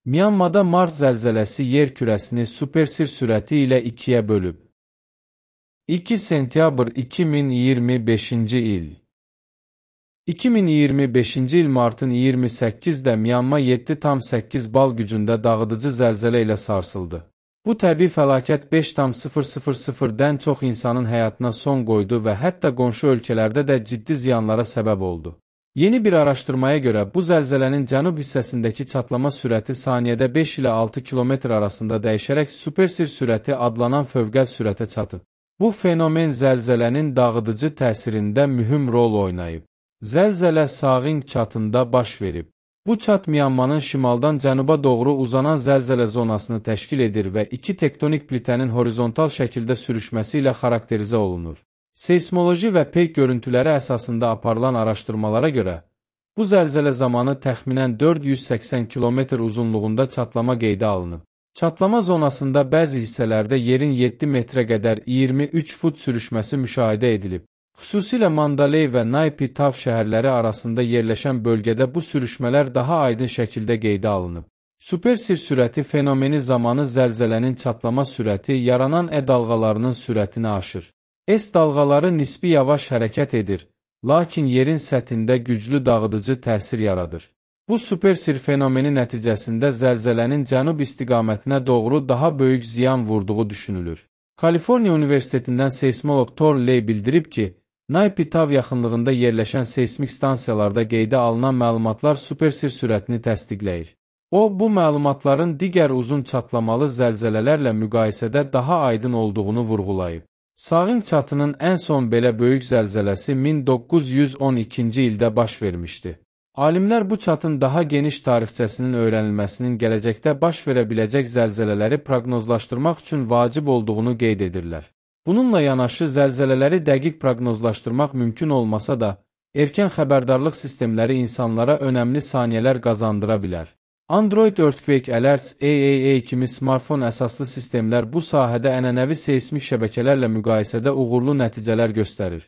Myanmada Mars zəlzələsi yer kürəsini supersir sürəti ilə ikiyə bölüb. 2 sentyabr 2025-ci il 2025-ci il martın 28-də Myanma 7,8 bal gücündə dağıdıcı zəlzələ ilə sarsıldı. Bu təbii fəlakət 5,000-dən çox insanın həyatına son qoydu və hətta qonşu ölkələrdə də ciddi ziyanlara səbəb oldu. Yeni bir araşdırmaya görə bu zəlzələnin cənub hissəsindəki çatlama sürəti saniyədə 5 ilə 6 km arasında dəyişərək supersir sürəti adlanan fövqəl sürətə çatıb. Bu fenomen zəlzələnin dağıdıcı təsirində mühüm rol oynayıb. Zəlzələ Sağing çatında baş verib. Bu çat Myanmanın şimaldan cənuba doğru uzanan zəlzələ zonasını təşkil edir və iki tektonik plitənin horizontal şəkildə sürüşməsi ilə xarakterizə olunur. Seysmoloji və peyk görüntüləri əsasında aparılan araşdırmalara görə, bu zəlzələ zamanı təxminən 480 km uzunluğunda çatlama qeydə alınıb. Çatlama zonasında bəzi hissələrdə yerin 7 metrə qədər 23 fut sürüşməsi müşahidə edilib. Xüsusilə Mandaley və Naypi Tav şəhərləri arasında yerləşən bölgədə bu sürüşmələr daha aydın şəkildə qeydə alınıb. Supersir sürəti fenomeni zamanı zəlzələnin çatlama sürəti yaranan dalğalarının sürətini aşır. S dalğaları nisbi yavaş hərəkət edir, lakin yerin səthində güclü dağıdıcı təsir yaradır. Bu supersir fenomeni nəticəsində zəlzələnin cənub istiqamətinə doğru daha böyük ziyan vurduğu düşünülür. Kaliforniya Universitetindən seysmolog Thor Ley bildirib ki, Naypi Tav yaxınlığında yerləşən seysmik stansiyalarda qeydə alınan məlumatlar supersir sürətini təsdiqləyir. O, bu məlumatların digər uzun çatlamalı zəlzələlərlə müqayisədə daha aydın olduğunu vurğulayıb. Sağing çatının ən son belə böyük zəlzələsi 1912-ci ildə baş vermişdi. Alimlər bu çatın daha geniş tarixçəsinin öyrənilməsinin gələcəkdə baş verə biləcək zəlzələləri proqnozlaşdırmaq üçün vacib olduğunu qeyd edirlər. Bununla yanaşı zəlzələləri dəqiq proqnozlaşdırmaq mümkün olmasa da, erkən xəbərdarlıq sistemləri insanlara önəmli saniyələr qazandıra bilər. Android Earthquake Alerts AAA kimi smartfon əsaslı sistemlər bu sahədə ənənəvi seysmik şəbəkələrlə müqayisədə uğurlu nəticələr göstərir.